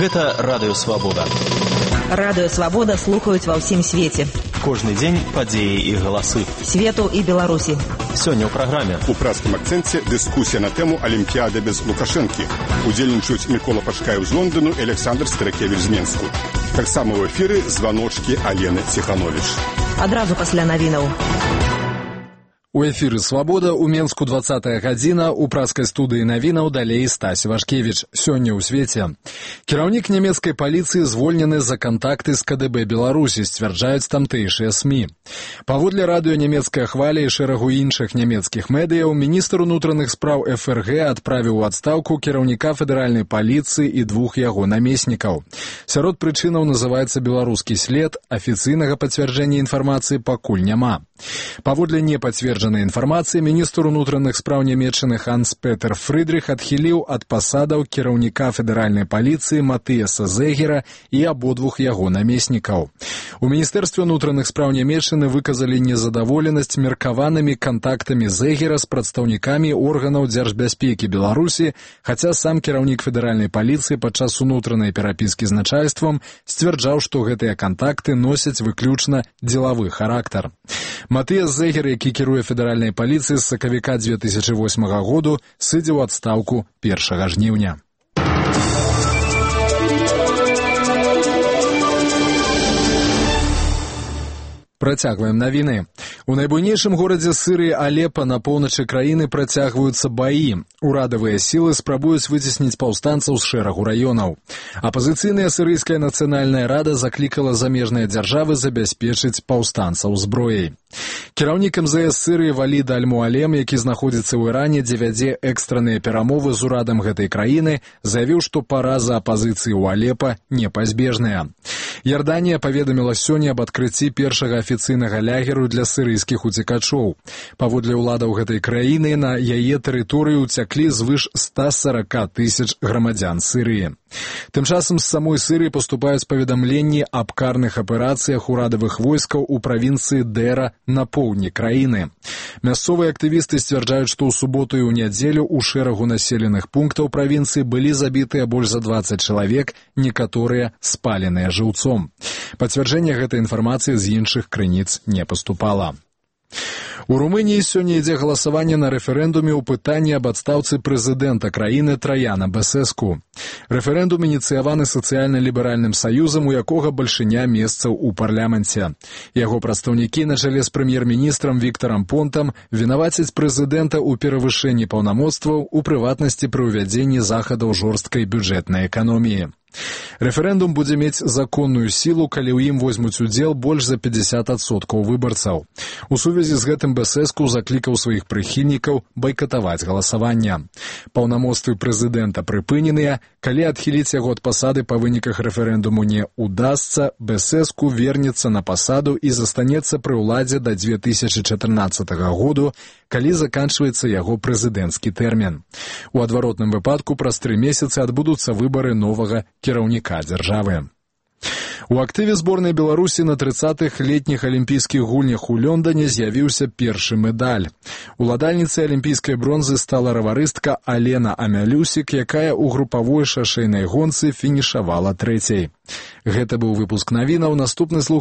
Гэта Радыё Свабода. Радыё Свабода слухаюць ва ўсім свеце. Кожны дзень падзеі і галасы. Свету і Беларусі. Сёння ў праграме. У празкім акцэнце дыскусія на тэму Алімпіяды без Лукашэнкі. Удзельнічаюць Мікола Пашкаеў з Лондону і Александр Старыкевіч з Менску. Таксама ў эфіры званочкі Алены Ціхановіч. Адразу пасля навінаў. У эфіры «Свабода» у Менску 20-я гадзіна, у праскай студыі навінаў далей Стась Вашкевіч. Сёння ў свеце. Кіраўнік нямецкай паліцыі звольнены за кантакты з КДБ Беларусі, сцвярджаюць тамтэйшыя СМІ. Паводле радыё нямецкая хваля і шэрагу іншых нямецкіх медыяў, міністр унутраных спраў ФРГ адправіў у адстаўку кіраўніка федэральнай паліцыі і двух яго намеснікаў. Сярод прычынаў называецца беларускі след, афіцыйнага пацвярджэння інфармацыі пакуль няма. Паводле непацверджанай інфармацыі, міністр унутраных спраў нямецчыны Ханс-Петер Фрыдрых адхіліў ад пасадаў кіраўніка федэральнай паліцыі Матыяса Зегера і абодвух яго намеснікаў. У міністэрстве унутраных спраў нямецчыны выказалі незадаволенасць меркаванымі кантактамі Зегера з прадстаўнікамі органаў дзяржбяспекі Беларусі, хаця сам кіраўнік федэральнай паліцыі падчас унутранай перапіскі з начальствам сцвярджаў, што гэтыя кантакты носяць выключна дзелавы характар. Матыяс Зегер, які кіруе федэральнай паліцыі з сакавіка 2008 году, сыдзе ў адстаўку 1 жніўня. Працягваем навіны. У найбуйнейшым горадзе Сырыі Алепа на поўначы краіны працягваюцца баі. Урадавыя сілы спрабуюць выцесніць паўстанцаў з шэрагу раёнаў. Апазіцыйная сірыйская нацыянальная рада заклікала замежныя дзяржавы забяспечыць паўстанцаў зброяй. Кіраўнік МЗС Сырыі Валід Аль-Муалем, які знаходзіцца ў Іране, дзе вядзе экстраныя перамовы з урадам гэтай краіны, заявіў, што параза апазіцыі ў Алепа непазбежная. Ярданія паведаміла сёння аб адкрыцці першага афіцыйнага лягеру для сірыйскіх уцекачоў. Паводле ўладаў гэтай краіны на яе тэрыторыю ўцяклі звыш 140 тысяч грамадзян Сырыі. Тым часам з самой Сырыі паступаюць паведамленні аб карных аперацыях урадавых войскаў у правінцыі Дэра на поўдні краіны. Мясцовыя актывісты сцвярджаюць, што ў суботу і ў нядзелю ў шэрагу населеных пунктаў правінцыі былі забітыя больш за 20 чалавек, некаторыя спаленыя жыўцом. Пацвярджэння гэтай інфармацыі з іншых крыніц не паступала. У Румыніі сёння ідзе галасаванне на рэферэндуме ў пытанні аб адстаўцы прэзідэнта краіны Траяна Бесеску. Рэферэндум ініцыяваны сацыяльна-ліберальным саюзам, у якога бальшыня месцаў у парламенце. Яго прадстаўнікі на чале з прэм'ер-міністрам Віктарам Понтам вінавацяць прэзідэнта ў перавышэнні паўнамоцтваў, у прыватнасці пры ўвядзенні захадаў жорсткай бюджэтнай эканоміі. Рэферэндум будзе мець законную сілу, калі ў ім возьмуць удзел больш за 50% выбарцаў. У сувязі з гэтым Бесеску заклікаў сваіх прыхільнікаў байкатаваць галасаванне. Паўнамоцтвы прэзідэнта прыпыненыя, калі адхіліць яго ад пасады па выніках рэферэндуму не удасца, Бесеску вернецца на пасаду і застанецца пры ўладзе да 2014 году, калі заканчваецца яго прэзідэнцкі тэрмін. У адваротным выпадку праз 3 месяцы адбудуцца выбары новага кіраўніка дзяржавы. У актыве зборнай Беларусі на 30-х летніх алімпійскіх гульнях у Лондоне з'явіўся першы медаль. Уладальніцай алімпійскай бронзы стала раварыстка Алена Амялюсік, якая ў групавой шашэйнай гонцы фінішавала 3-й. Гэта быў выпуск навінаў. Наступны слух